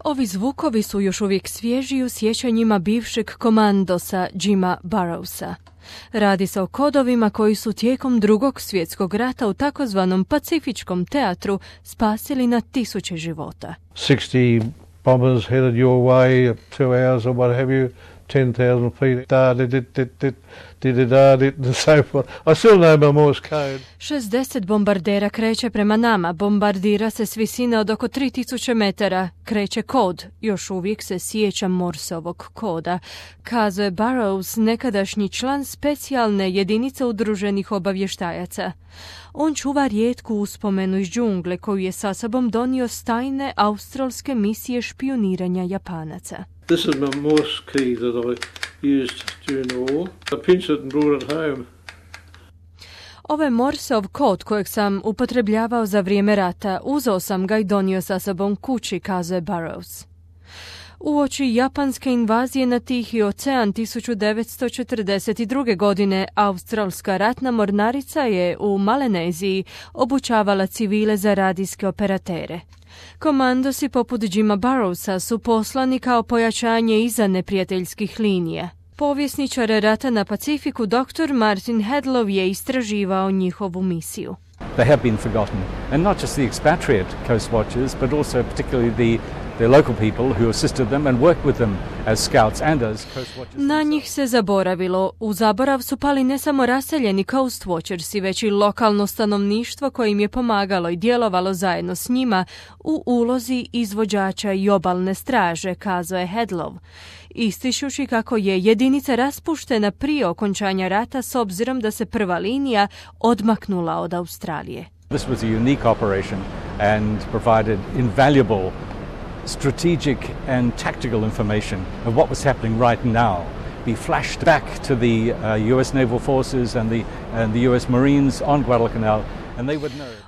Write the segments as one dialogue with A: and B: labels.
A: Ovi zvukovi su još uvijek svježi u sjećanjima bivšeg komandosa Jima Burrowsa. Radi se o kodovima koji su tijekom Drugog svjetskog rata u takozvanom Pacifičkom teatru spasili na tisuće života.
B: 60 bombers headed your way, 2 hours or what have you, 10,000 feet, and so forth. I still know my Morse code.
A: 60 bombardera kreće prema nama, bombardira se s visine od oko 3000 metara, kreće kod, još uvijek se sjećam Morseovog koda, kazao je Burrows, nekadašnji član specijalne jedinice udruženih obavještajaca. On čuva rijetku uspomenu iz džungle koju je sa sobom donio s tajne australske misije špioniranja Japanaca.
B: This is my Morse key that I used during the war. I pinched it and brought it home.
A: Ovo je Morseov kod kojeg sam upotrebljavao za vrijeme rata. Uzeo sam ga i donio sa sobom kući, kazao je Burrows. Uoči japanske invazije na Tihi ocean 1942. godine australska ratna mornarica je u Maleneziji obučavala civile za radijske operatere. Komandosi poput Jima Burrowsa su poslani kao pojačanje iza neprijateljskih linija. Povjesničar rata na Pacifiku dr. Martin Hedlow je istraživao njihovu misiju.
C: They have been forgotten, and not just the expatriate coast watchers, but also particularly the local people who assisted them and worked with them as scouts and as coast watchers.
A: Na njih se zaboravilo. U zaborav su pali ne samo raseljeni coast watchersi, već i lokalno stanovništvo koje im je pomagalo i djelovalo zajedno s njima u ulozi izvođača i obalne straže, kazao je Hedlow, ističući kako je jedinica raspuštena prije okončanja rata s obzirom da se prva linija odmaknula od Australije.
C: This was a unique operation and provided invaluable strategic and tactical information of what was happening right now. Be flashed back to the US naval forces and the US Marines on Guadalcanal.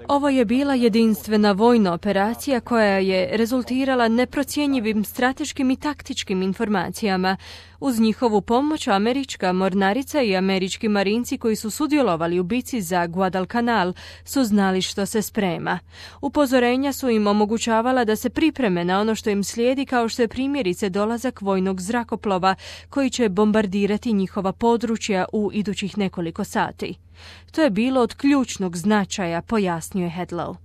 A: Ovo je bila jedinstvena vojna operacija koja je rezultirala neprocjenjivim strateškim i taktičkim informacijama. Uz njihovu pomoć američka mornarica i američki marinci koji su sudjelovali u bici za Guadalcanal su znali što se sprema. Upozorenja su im omogućavala da se pripreme na ono što im slijedi, kao što je primjerice dolazak vojnog zrakoplova koji će bombardirati njihova područja u idućih nekoliko sati. To je bilo od ključnog značaja, pojasnio je Hedlow.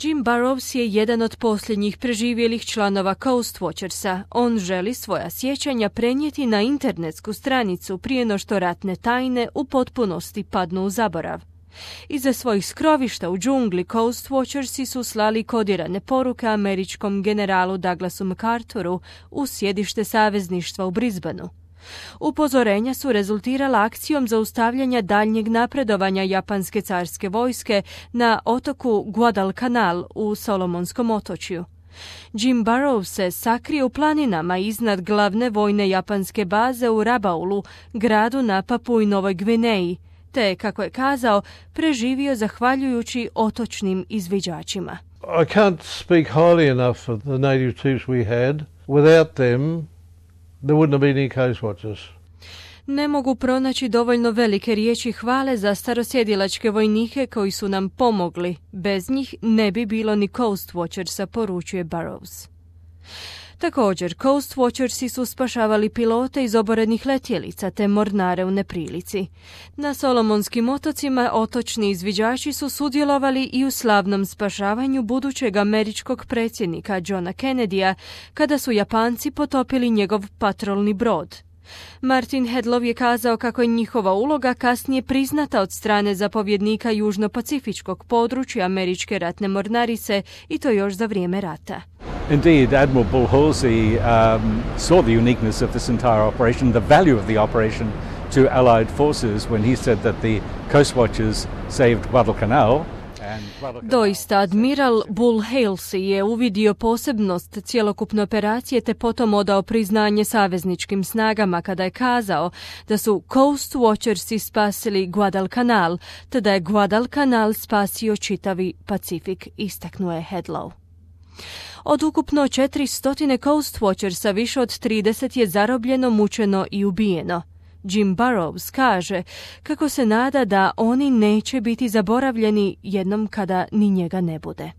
A: Jim Burrows je jedan od posljednjih preživjelih članova Coast Watchersa. On želi svoja sjećanja prenijeti na internetsku stranicu prije no što ratne tajne u potpunosti padnu u zaborav. Iza svojih skrovišta u džungli Coast Watchersi su slali kodirane poruke američkom generalu Douglasu MacArthuru u sjedište savezništva u Brisbaneu. Upozorenja su rezultirala akcijom zaustavljanja daljnjeg napredovanja japanske carske vojske na otoku Guadalcanal u Solomonskom otočju. Jim Burrows se sakrio u planinama iznad glavne vojne japanske baze u Rabaulu, gradu na Papui Novoj Gvineji, te, kako je kazao, preživio zahvaljujući otočnim izviđačima.
B: I can't speak highly enough of the native troops we had. Without them, there wouldn't have been any coast watchers.
A: Ne mogu pronaći dovoljno velike riječi hvale za starosjedilačke vojnike koji su nam pomogli. Bez njih ne bi bilo ni Coast Watchersa, poručuje Burrows. Također, Coast Watchersi su spašavali pilote iz oborenih letjelica te mornare u neprilici. Na Solomonskim otocima otočni izviđači su sudjelovali i u slavnom spašavanju budućeg američkog predsjednika Johna Kennedya kada su Japanci potopili njegov patrolni brod. Martin Hedlow je kazao kako je njihova uloga kasnije priznata od strane zapovjednika južno-pacifičkog područja američke ratne mornarice i to još za vrijeme rata.
C: Indeed, Admiral Bull Halsey saw the uniqueness of this entire operation, the value of the operation to Allied forces when he said that the Coast Watchers saved Guadalcanal.
A: Doista, admiral Bull Halsey je uvidio posebnost cjelokupne operacije te potom odao priznanje savezničkim snagama kada je kazao da su Coast Watchersi spasili Guadalcanal, te da je Guadalcanal spasio čitavi Pacifik, istaknuo je Hedlow. Od ukupno 400 Coast Watchersa više od 30 je zarobljeno, mučeno i ubijeno. Jim Burrows kaže kako se nada da oni neće biti zaboravljeni jednom kada ni njega ne bude.